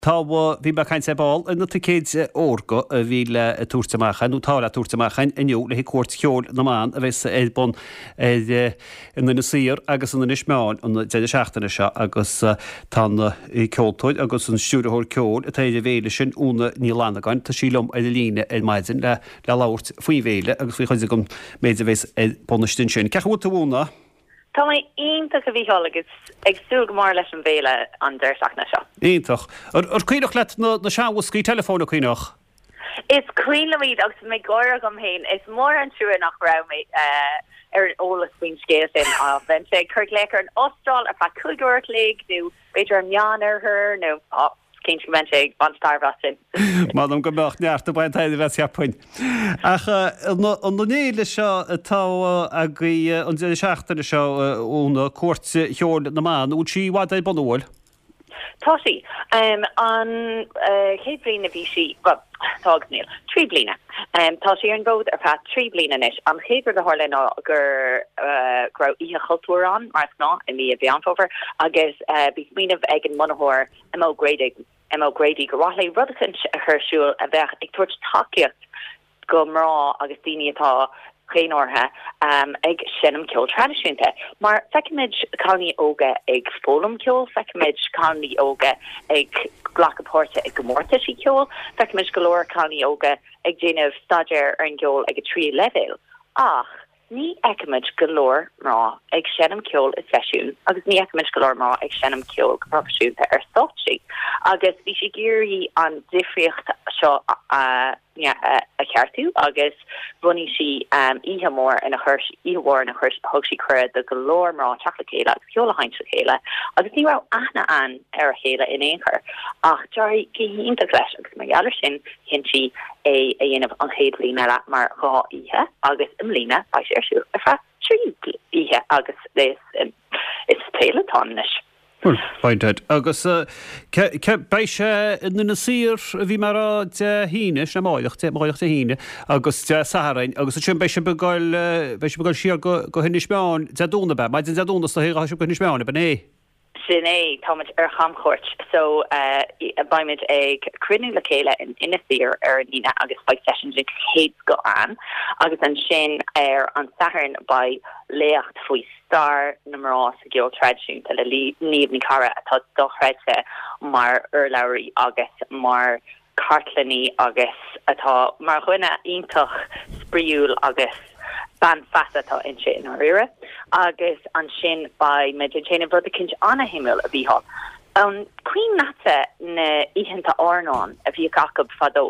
Tá, bhí mé ag caint ar ball ar na ticéid órga a bhí le tabhairt amach, nó atá le tabhairt amach inniu le haghaidh Cuairt Cheoil na mBan a bheas ar bun ar in Inis Oírr agus in Inis Meáin an deireadh seachtaine seo agus tá an ceoltóir agus an stiúrthóir ceoil atá ar an bhféile sin, Úna Ní Fhlannagáin, tá sí liom ar an líne ar maidin le le labhairt faoin bhféile agus faoi chuid den méid a bheas ar bun istigh ansin. Cén chaoi a bhfuil tú, a Úna? Tá mé iontach, a Mhícheáil, agus ag súil go mór leis an bhféile an deireadh seachtaine seo. Iontach. Ar cuimhneach leat na seanbhoscaí teileafóin, an cuimhneach? Is cuimhin liom iad agus mé ag gáire agam féin. Is mór an trua nach raibh mé ar an eolas faoin scéal sin. Bheinnse ag cur glaoch ar an Astráil ar feadh 5 uair a chloig nó b'fhéidir an Meánoirthear nó cinnte go mbeinnse ag baint tairbhe as sin. M'anam go mbeadh neart ag baint tairbhe as, cheapfainn. Ach an fhéile seo atá agaibh an deireadh seachtaine seo, Úna, Cuairt Cheoil na mBan, an bhfuil sí i bhfad ar bun, an bhfuil? Tá sí. An chéad bhliain a bhí sí, bhuel, tá agus níl, 3 bliana. Tá sí ar an bhfód ar feadh 3 bliana anois. An chéad rud a tharla ná gur go raibh Oíche Chultúir ann, mar is gnáth, i mí Mheán Fómhair, agus bhí smaoineamh ag an mbunaitheoir, Emma O'Grady, Emma O'Grady, gur mhaith léi rud eicínt a chur ar siúl a bheadh ag tabhairt tacaíocht go mná agus daoine atá féinmharaithe ag seinm ceol traidisiúnta. Mar feicimid cailíní óga ag foghlaim ceoil, feicimid cailíní óga ag glacadh páirte i gcomórtaisí ceoil, feicimid go leor cailíní óga ag déanamh staidéar ar an gceol ag an tríú leibhéal. Ach ní fheicimid go leor mná ag seinm ceoil i seisiúin agus ní fheicimid go leor mná ag seinm ceoil go proifisiúnta ar stáitsí. Agus bhí sí ag iarraidh an difríocht seo a a cheartú agus bhunaigh sí oíche mhór ina chuir oíche mhór ina chuir thug sí cuireadh do go leor mná teacht le chéile agus ceol a sheinnt le chéile agus ní raibh aithne ann ar a chéile in aon chor ach d'éirigh go hiontach leis agus mar gheall ar sin chinn sí é a dhéanamh an chéad bhliain eile mar dhá oíche agus i mbliana beidh sé ar siúl ar feadh trí oíche agus is is féile atá ann anois. Bhuel, fine Ted. Agus beidh sé in Inis Oírr, a bhí mé a rá, Dé hAoine, sin amáireach, amáireach Dé hAoine, agus Dé Sathairn, agus ansin beidh sibh ag dul, beidh sibh ag dul siar go, go hInis Meáin Dé Domhnaigh, ab ea? Maidin Dé Domhnaigh is dóigh a ghabhfaidh sibh go hInis Meáin, ab in é? Sin é, táimid ar chamchuairt, so beimid ag cruinniú le chéile in Inis Oírr ar an Aoine agus beidh seisiún den chéad scoth ann, agus ansin ar an Satharn beidh léacht faoi stair na mná sa gceol traidisiúnta le Niamh Ní Charra atá dochreidte mar urlabhraí agus mar chartlannaí agus atá mar dhuine iontach spraíúil agus bean feasa atá inti i ndáiríre. Agus ansin beidh muid ag déanamh rud eicínt ana-shuimiúil, a Mhícheáil. An cuimhin leatsa na oícheanta airneáin a bhíodh acu fadó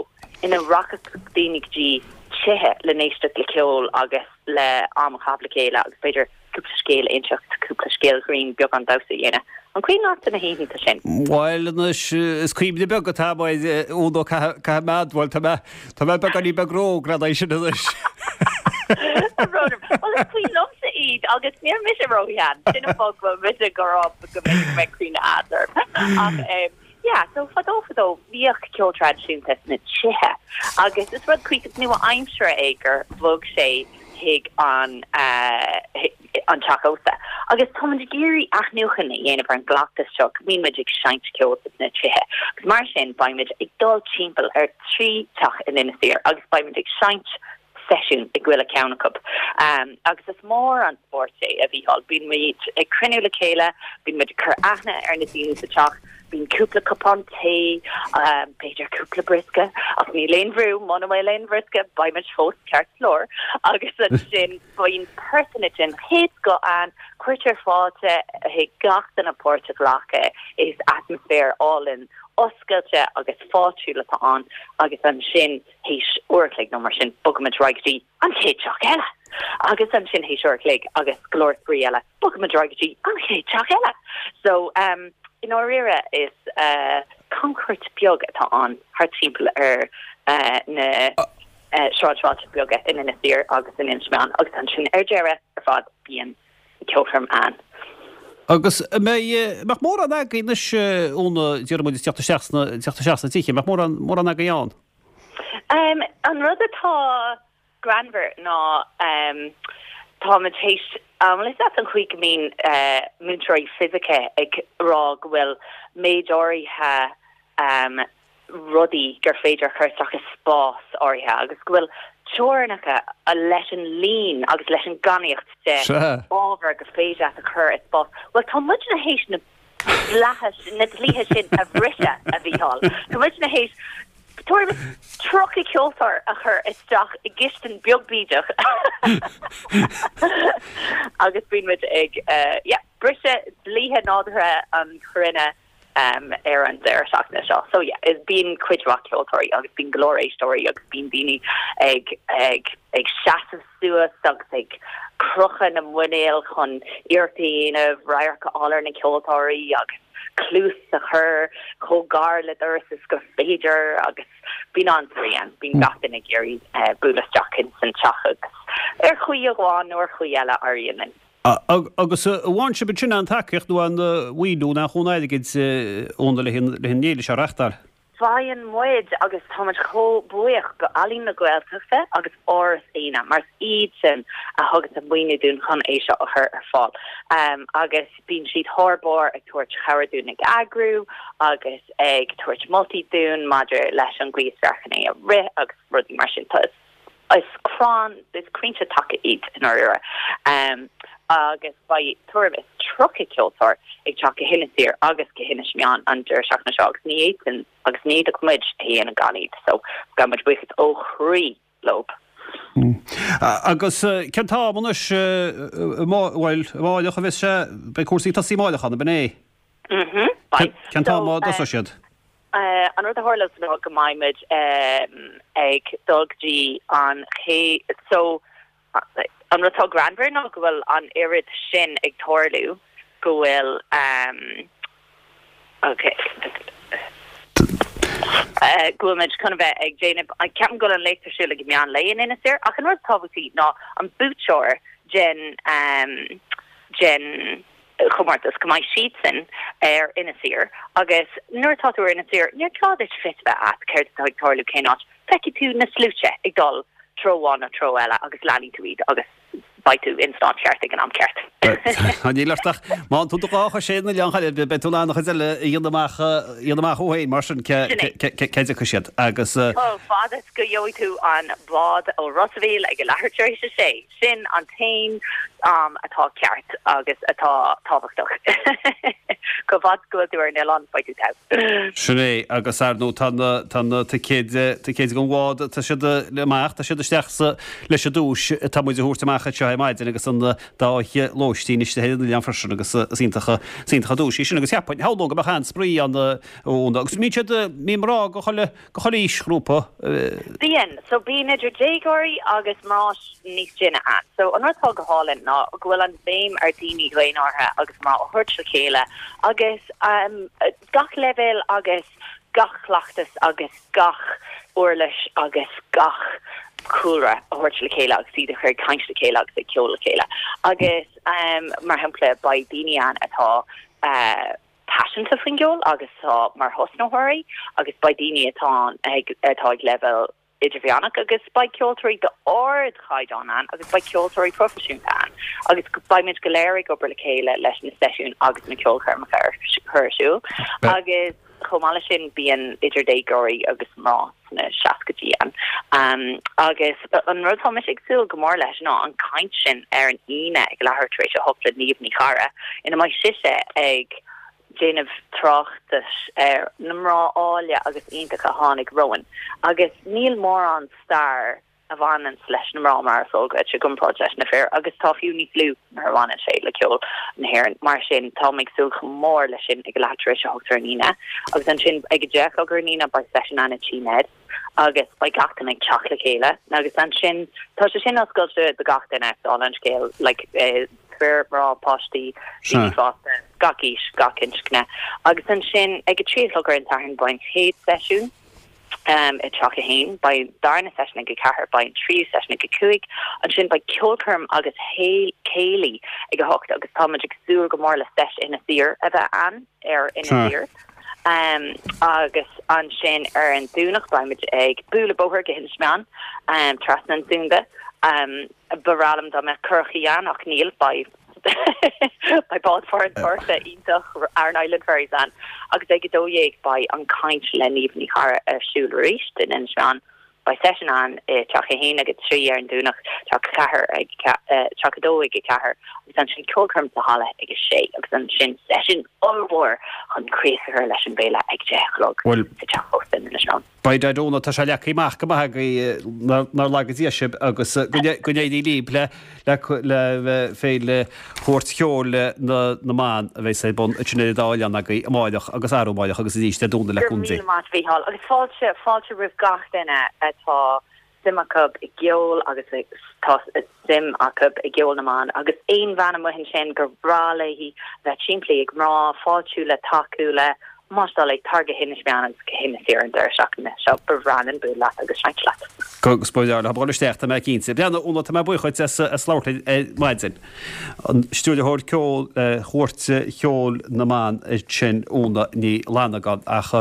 ina rachadh daoine go dtí tithe le n-éisteacht le ceol agus le am a chaitheamh le chéile agus b'fhéidir cúpla scéal a inseacht, cúpla scéal grinn, beagán damhsa a dhéanamh. An cuimhin leatsa na hoícheanta sin? Bhuel anois, is cuimhne beag atá agam air, Úna, caithfidh mé a admháil, tá mé, tá mé beagáinín beag ró-óg le haghaidh sin anois. Tá brón orm. Bhuel is cuimhin liomsa iad agus níl mise ró-shean, sin an fáth go bhfuil mise ag rá go mb'fhéidir go mbeidh cuimhne a'd orm. Ach eh, yeah, so fadó fadó bhíodh ceol traidisiúnta sna tithe agus is rud cuíosach nua-aimseartha é gur bhog sé chuig an an teach ósta. Agus táimid ag iarraidh athnuachan a dhéanamh ar an gcleachtas seo go mbíonn muid ag seinnt ceoil sna tithe. Agus mar sin beimid ag dul timpeall ar thrí teach in Inis Oírr agus beimid ag seinnt seisiún i gchuile ceann acu. Agus is mór an spórt é, a Mhícheáil. Bíonn muid ag cruinniú le chéile, bíonn muid ag cur aithne ar na daoine sa teach, bíonn cúpla cupán tae, b'fhéidir cúpla briosca, ach níl aon bhrú, muna bhfuil aon bhriosca, beidh muid fós ceart go leor. Agus ansin bíonn pearsana den chéad scoth ann, cuirtear fáilte chuig gach duine páirt a ghlacadh, is atmaisféar álainn oscailte agus fáiltiúil atá ann agus ansin, Théis uair a chloig nó mar sin, bogaimid ar aghaidh go dtí an chéad teach eile. Agus ansin théis uair a chloig agus go leor spraoi eile, bogaimid ar aghaidh go dtí an chéad teach eile. So, um, i ndáiríre is uh, camchuairt beag atá ann thart timpeall ar uh, na uh, sráidbhailte beaga in Inis Oírr agus in Inis Meáin agus ansin ar deireadh ar fad bíonn ceolchoirm ann. Agus an mbeidh, mbeadh mórán agaibh anois Úna, déarfaidh muid ag teacht isteach sna, teacht isteach sna tithe, mbeadh mórán, mórán agaibh ann? Um, an rud atá greannmhar ná um, táimid théis, an bhfuil fhios agat an chaoi go mbíonn uh, múinteoirí fisice ag rá go bhfuil méid áirithe. Rudaí gur féidir a chur isteach i spás áirithe agus go bhfuil teorainneacha leis an líon agus leis an gcainníocht de ábhar gur féidir leat a chur i spás. Bhuel, tá muidne théis na dleatha, na dlíthe sin a bhriseadh, a Mhícheáil. Tá muidne théis tuairim is 30 ceoltóir a chur isteach i gcistin beag bídeach agus bíonn muid ag, yeah, briseadh dlíthe nádúrtha an chruinne. ar an deireadh seachtaine seo. So yeah, is bíonn cuid mhaith ceoltóirí agus bíonn go leor éisteoirí agus bíonn daoine ag ag ag seasamh suas agus ag crochadh na muinéal chun iarracht a dhéanamh radharc a fháil ar na ceoltóirí agus cluas a chur chomh gar le doras is gur féidir agus bíonn an-spraoi ann. Bíonn gach duine ag iarraidh bualadh isteach ins an teach agus ar chaoi amháin nó ar chaoi eile éiríonn linn. Agus an bhfaigheann sibh ansin aon tacaíocht nó aon mhaoiniú nó aon chúnamh airgid Úna le an fhéile seo a reachtáil? Faigheann muid agus tá muid chomh buíoch go Ealaín na Gaeltachta agus Áras Éanna mar is iadsan a thugann an maoiniú dúinn chun é seo a chur ar fáil. Agus bíonn siad thar barr ag tabhairt chabhair dúinn ag eagrú agus ag tabhairt moltaí dúinn maidir leis an gcaoi is fearr chun é a rith agus rudaí mar sin. Tá Is crann, is crainnte taca iad i ndáiríre. Agus beidh tuairim is 30 ceoltóir ag teacht go hInis Oírr agus go hInis Meáin an deireadh seachtaine seo agus ní fhéadfainn agus ní fhéadfadh muid a dhéanamh gan iad. So gabhann muid buíochas ó chroí leo. Agus cén t-am anois, bhuel, amáireach a bheas sé, beidh cúrsaí ag tosaí amáireach ann, ab in é? Mhm, beidh. Cén t-am a dtosóidh siad? An rud a tharlós ná go mbeidh muid ag dul go dtí an chéad so an rud atá greannmhar ná go bhfuil an oiread sin ag tarlú go bhfuil ok go bhfuil muid chun a bheith ag déanamh ceapaim go bhfuil an léacht ar siúl ag meán lae in Inis Oírr ach an rud is tábhachtaí ná an buaiteoir den den chomórtas, go mbeidh siadsan ar Inis Oírr agus nuair atá tú ar Inis Oírr, níor ghá duit fios a bheith a't céard atá ag tarlú cén áit, feicfidh tú na sluaite ag dul treo amháin nó treo eile agus leanfaidh tú iad agus beidh tú ins an áit cheart ag an am ceart. Níl ort ach má tá tú do dhá chois ar an oileán cheana, beidh tú in ann an chuid eile a dhéanamh amach, a dhéanamh amach thú féin mar sin cé, cé, cé dtiocfaidh siad agus. Chomh fada is go gheobhaidh tú an bád ó Ros a' Mhíl ag a leathuair tar éis a sé. Sin an t-aon am atá ceart agus atá tábhachtach. Chomh fada is go bhfuil tú ar an oileán, beidh tú togha. Sin é, agus ar ndóigh tá na, tá na ticéid, ticéid don bhád, tá siad amach, tá siad isteach sa, leis an duais atá muid a thabhairt amach anseo ar maidin agus an dá oíche lóistín istigh ar an oileán freisin agus is iontach, is iontach an duais í sin agus cheapfainn, shamhlóinn go mbeadh an-spraoi ann, agus mbíonn siad, mbíonn mná go chuile, Go chuile aoisghrúpa. Bíonn. So bíonn idir déagóirí agus mná níos sine ann. So an rud atá go hálainn ná go bhfuil an bhéim ar daoine dhaonártha agus mná a thabhairt le chéile agus gach leibhéal agus gach cleachtas agus gach uirlis agus gach cúlra a thabhairt le chéile agus iad a chur ag caint le chéile agus ag ceol le chéile. Agus mar shampla beidh daoine ann atá paiseanta faoin gceol agus atá mar thosnaitheoirí agus beidh daoine atá ag atá ag leibhéal idirmheánach agus beidh ceoltóirí d'ardchaighdeán ann agus beidh ceoltóirí proifisiúnta ann agus beidh muid go léir ag obair le chéile leis na seisiúin agus na ceolchoirmeacha a chur ar siúl agus chomh maith leis sin bíonn idir déagóirí agus mná sna seascaidí ann. Agus an rud atá mise ag súil go mór leis ná an caint sin ar an Aoine ag leathuair tar éis a hocht le Niamh Ní Charra ina mbeidh sise ag déanamh tráchtais ar na mná áille agus iontacha a tháinig romhainn agus níl mórán stair a bhaineanns leis na mná mar is eol duit i gcomparáid leis na fir agus tá fiú níos lú nuair a bhaineann sé le ceol na hÉireann. Mar sin, táim ag súil chomh mór leis sin ag a leath tar éis a hocht ar an Aoine agus ansin ag a deich a chlog ar an Aoine beidh seisiún ann i Tí Ned agus beidh gach duine ag teacht le chéile agus ansin tá sé sin oscailte do gach duine, dála an scéil, like fir, mná, páistí, daoine fásta, gach aois, gach inscne. Agus ansin ag a trí a chlog ar an Satharn beidh an chéad seisiún. i dTeach 1. Beidh an darna seisiún ag a ceathair, beidh an tríú seisiún ag a cúig, ansin beidh ceolchoirm agus céilí ag a hocht agus tá muid ag súil go mór le Seis Inis Oírr a bheith ann ar Inis Oírr. Agus ansin ar an Domhnach beidh muid ag bualadh bóthair go hInis Meáin, trasna an Sunda. Ba bhreá liom dá mbeadh curachaí ann ach níl, beidh. Beidh bád farantóireachta iontach Aran Island Ferries ann agus ag 12 beidh an caint le Niamh Ní Charra ar siúl arís in Inis Meáin. Beidh seisiún ann i teach a haon ag a 3 ar an Domhnach, teach a 4 ag teach a 2 ag a 4 agus ansin ceolchoirm sa halla ag a 6 agus ansin seisiún ollmhór chun críoch a chur leis an bhféile ag 10 a chlog sa teach ósta in Inis Meáin. By dad Úna, tá sé leagtha amach go maith agaibh, nár laga Dia sibh agus go n-éirí libh le le Féile Chuairt Cheoil na mBan a bheas ar bun ansin ar an dá oileán agaibh amáireach agus arú amáireach agus arís Dé Domhnaigh le Go raibh míle maith Mhícheál agus fáilte fáilte roimh gach duine atá suim acu i gceol agus tá suim acu i gceol na mban agus aon bhean amuigh ansin gur bhreá léi bheith timpeall ag mná, fáiltiú le, tacú le, más dóigh leat, tar go hInis Meáin agus go hInis Oírr an deireadh seachtaine seo, ba bhreá linn bualadh leat agus seinnt leat. Agus ba bhreá leo dul isteach, tá mé cinnte. Bhuel, Úna, tá mé buíoch dhuit as labhairt linn ar maidin. An stiúrthóir ceoil Chuairt Cheoil na mBan sin, Úna Ní Fhlannagáin. Ach.